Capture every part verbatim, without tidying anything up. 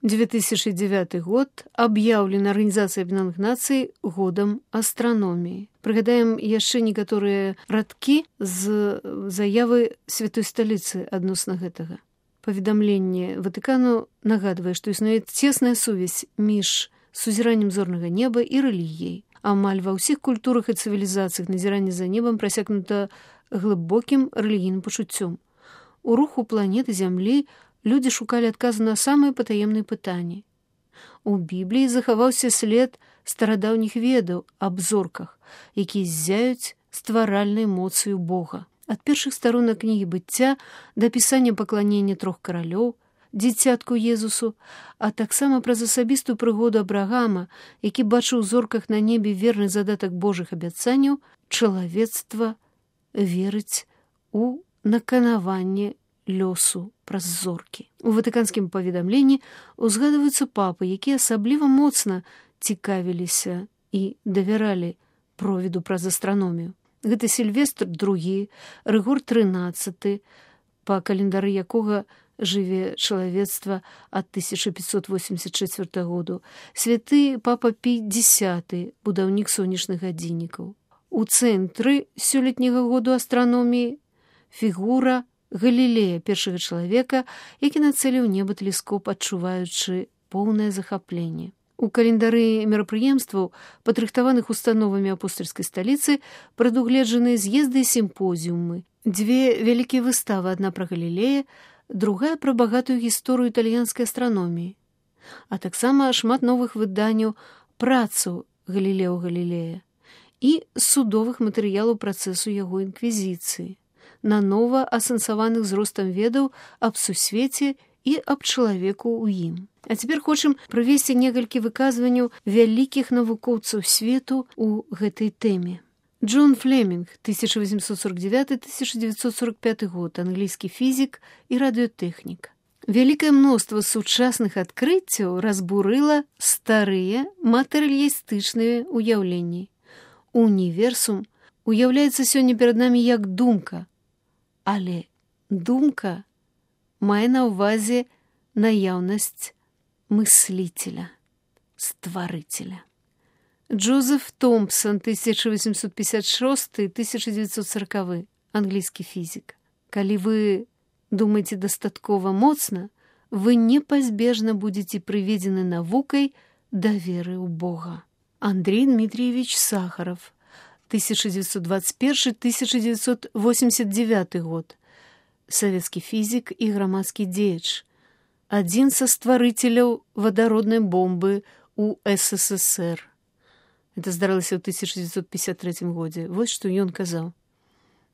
две тысячи девятый год аб'яўлен Арганізацыяй Аб'яднаных Нацый годам астраноміі. Прыгадаем яшчэ некаторыя радкі з заявы святой сталіцы адносна гэтага. Паведамленне Ватыкану нагадвае, што існуе цесная сувязь між сузіраннем зорнага неба і рэлігіяй. Амаль ва ўсіх культурах і цывілізацыях назіранне за небам прасякнута глыбокім рэлігійным пачуццём. У руху планеты Зямлі людзі шукалі адказу на самыя патаемныя пытанні. У Бібліі захаваўся след старадаўніх ведаў аб зорках, якія ззяюць стваральнай моцаю Бога. Ад першых старонак кнігі быцця да апісання пакланення трох каралёў, дзіцятку Езусу, а таксама праз асабістую прыгоду Абрагама, які бачыў у зорках на небе верны задатак Божых абяцанняў, чалавецтва верыць у наканаванне лёсу праз зоркі. У ватыканскім паведамленні узгадваюцца папы, якія асабліва моцна цікавіліся і давяралі провіду праз астраномію. Гэта Сільвестр другі, Рыгор трынаццаты, па календары якога жыве чалавецтва ад тысяча пятьсот восемьдесят четвёртага году, святы папа Пій дзесяты, будаўнік сонечных гадзіннікаў. У цэнтры сёлетняга году астраноміі фігура Галілея, першага чалавека, які нацэліў неба тэлескоп, адчуваючы поўнае захапленне. У календары мерапрыемстваў, падрыхтаваных установамі апостальскай сталіцы, прадугледжаны з'езды і сімпозіумы. Дзве вялікія выставы, адна пра Галілея, другая пра багатую гісторыю італьянскай астраноміі, а таксама шмат новых выданняў працаў Галілео Галілея і судовых матэрыялаў працэсу яго інквізіцыі, нанова асэнсаваных з ростам ведаў аб сусвеце і аб чалавеку ў ім. А цяпер хочам прывесці некалькі выказванняў вялікіх навукоўцаў свету ў гэтай тэме. Джон Флемінг, тысяча восемьсот сорок девятый — тысяча девятьсот сорок пятый год, англійскі фізік і радыётэхнік. Вялікае мноства сучасных адкрыццяў разбурыла старыя матэрыялістычныя ўяўленні. Універсум уяўляецца сёння перад намі як думка, але думка мае на ўвазе наяўнасць мыслителя, стварыцеля. Джозеф Томпсон, тысяча восемьсот пятьдесят шесты — тысяча девятьсот сороковый, англійскі фізік. Калі вы думаеце дастаткова моцна, вы непазбежна будзеце прыведзены навукай да веры ў Бога. Андрей Дмитриевич Сахаров, тысяча девятьсот двадцать первый — тысяча девятьсот восемьдесят девятый год, савецкі фізік і грамадскі дзеяч, адзін са стварыцеляў вадароднай бомбы ў эс эс эс эр. Это здарылася ў тысяча девятьсот пятьдесят третьем годзе. Вот что ён казаў.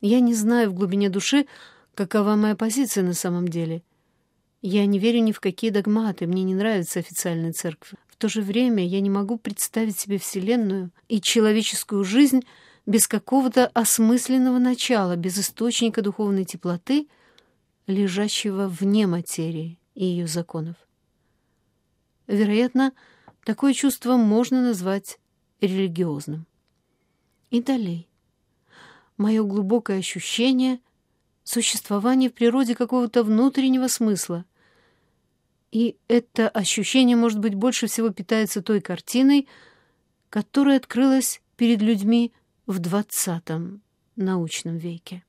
Я не знаю в глубине души, какова моя позиция на самом деле. Я не верю ни в какие догматы, мне не нравится официальная церковь. В то же время я не могу представить себе Вселенную и человеческую жизнь без какого-то осмысленного начала, без источника духовной теплоты, лежащего вне материи и ее законов. Вероятно, такое чувство можно назвать религиозным. И далее. Мое глубокое ощущение существования в природе какого-то внутреннего смысла. И это ощущение, может быть, больше всего питается той картиной, которая открылась перед людьми в двадцатом научном веке.